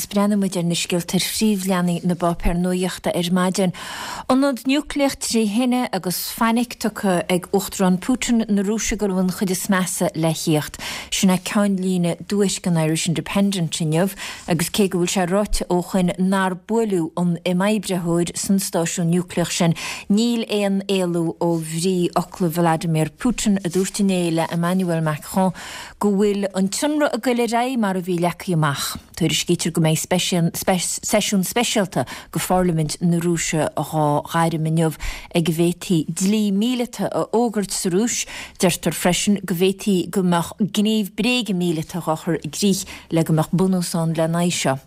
breathnóidh muid ar na scéalta ar phríomhleathanaigh na bpáipéar nuaíochta ar maidin. Ionad núicléach tré thine agus fainic tugtha ag Uachtarán Putin na Rúise go raibh an chuid is measa le thíocht. Sin é ceannlíne dtuairisc an Irish Independent inniu agus cé go bhfuil sé ráite ó shoin nár buaileadh an imoibritheoir san stáisiún núicléach sin, níl aon éalú ó bhrí fhocla Vladimir Putin a dúirt inné le Emmanuel Macron go bhfuil an t-ionradh ag goil ar aghaidh mar a bhí leagtha amach. Tuairiscítear go mbeidh seisiún speisialta de pharlaimint na Rúise dhá ghairm inniu ag a bhféadfaí dlí míleata a fhógairt sa Rúis. Deirtear freisin go bhféadfaí go mbeadh gníomh bréige míleata dhá chur i gcrích le go mbeadh bunús ann lena aghaidh seo.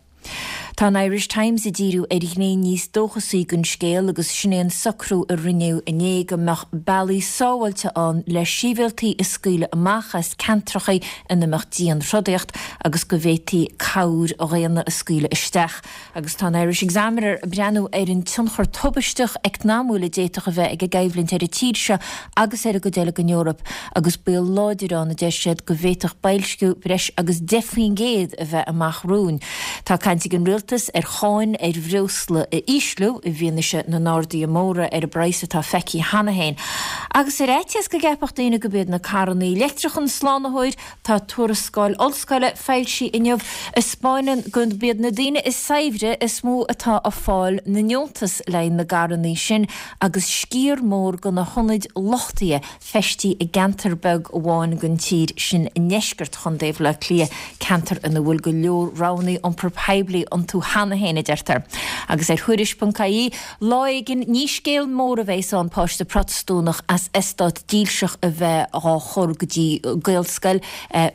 Tá an Irish Times ag díriú ar ghné níos dóchasaí den scéal agus sin é an socrú a rinneadh inné go mbeadh bealaí sábháilte ann le sibhialtaigh a scaoileadh amach as ceantracha ina mbeadh dianthrodaíocht agus go bhféadfaí cabhair dhaonna a scaoileadh isteach. Agus tá an Irish Examiner ag breathnú ar an tionchar tubaisteach eacnamúil a d'fhéadfadh a bheith ag an gcoimhlint ar an tír seo agus ar an gcuid eile den Eoraip agus baol láidir ann, a deir siad, go bhféadfadh boilsciú breis agus 10% a bheith amach romhainn. Tá caint ag an rialtas ar cháin ar bhreosla a ísliú i bhfianaise na n-arduithe móra ar an bpraghas atá feicthe cheana féin. Agus ar fhaitíos go gceapfadh daoine gurb iad na carrannaí leictreacha an slánaitheoir, tá tuarascáil ollscoile foilsithe inniu a 'spáineann gurb iad na daoine is saibhre is mó atá ag fáil na ndeontas le haghaidh na gcarrannaí sin agus sciar mór de na hionaid luchtaithe feistithe i gceantar beag amháin den tír, sin i ndeisceart Chontae Bhaile Átha Cliath, ceantar ina bhfuil go leor roghanna iompar poiblí iontu cheana féin, a deirtear. Agus ar Thuairisc.ie, lá éigin, ní scéal mór a bheas ann páiste Protastúnach as eastát dílseach a bheith dhá chur go dtí Gaelscoil,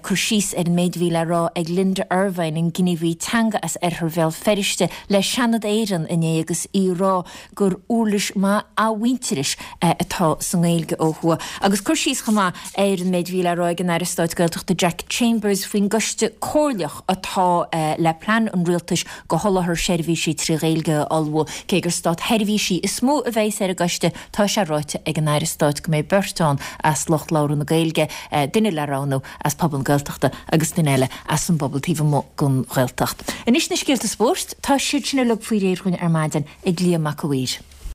cur síos ar an méid a bhí le rá ag Linda Ervine, an gníomhaí teanga as oirthear Bhéal Feirste, le Seanad Éireann inné agus í ag rá gur uirlis maith athmhuintearais atá sa nGaeilge ó thuaidh. Agus cur síos chomh maith ar an méid a bhí le rá ag an Aire Stáit Gaeltachta Jack Chambers faoin gcoiste comhairleach atá le plean an rialtais do sholáthar seirbhísí trí Ghaeilge a ullmhú. Cé gur státsheirbhísigh is mó a bheas ar an gcoiste, tá sé ráite ag an Aire Stáit go mbeidh beirt ann as lucht labhartha na Gaeilge, duine le roghnú as pobal na Gaeltachta agus duine eile as an bpobal taobh amuigh den Ghaeltacht. Anois na scéalta spóirt, tá siad sin uilig faoi réir dhúinn ar maidin ag Liam Mac a' Mhaoir.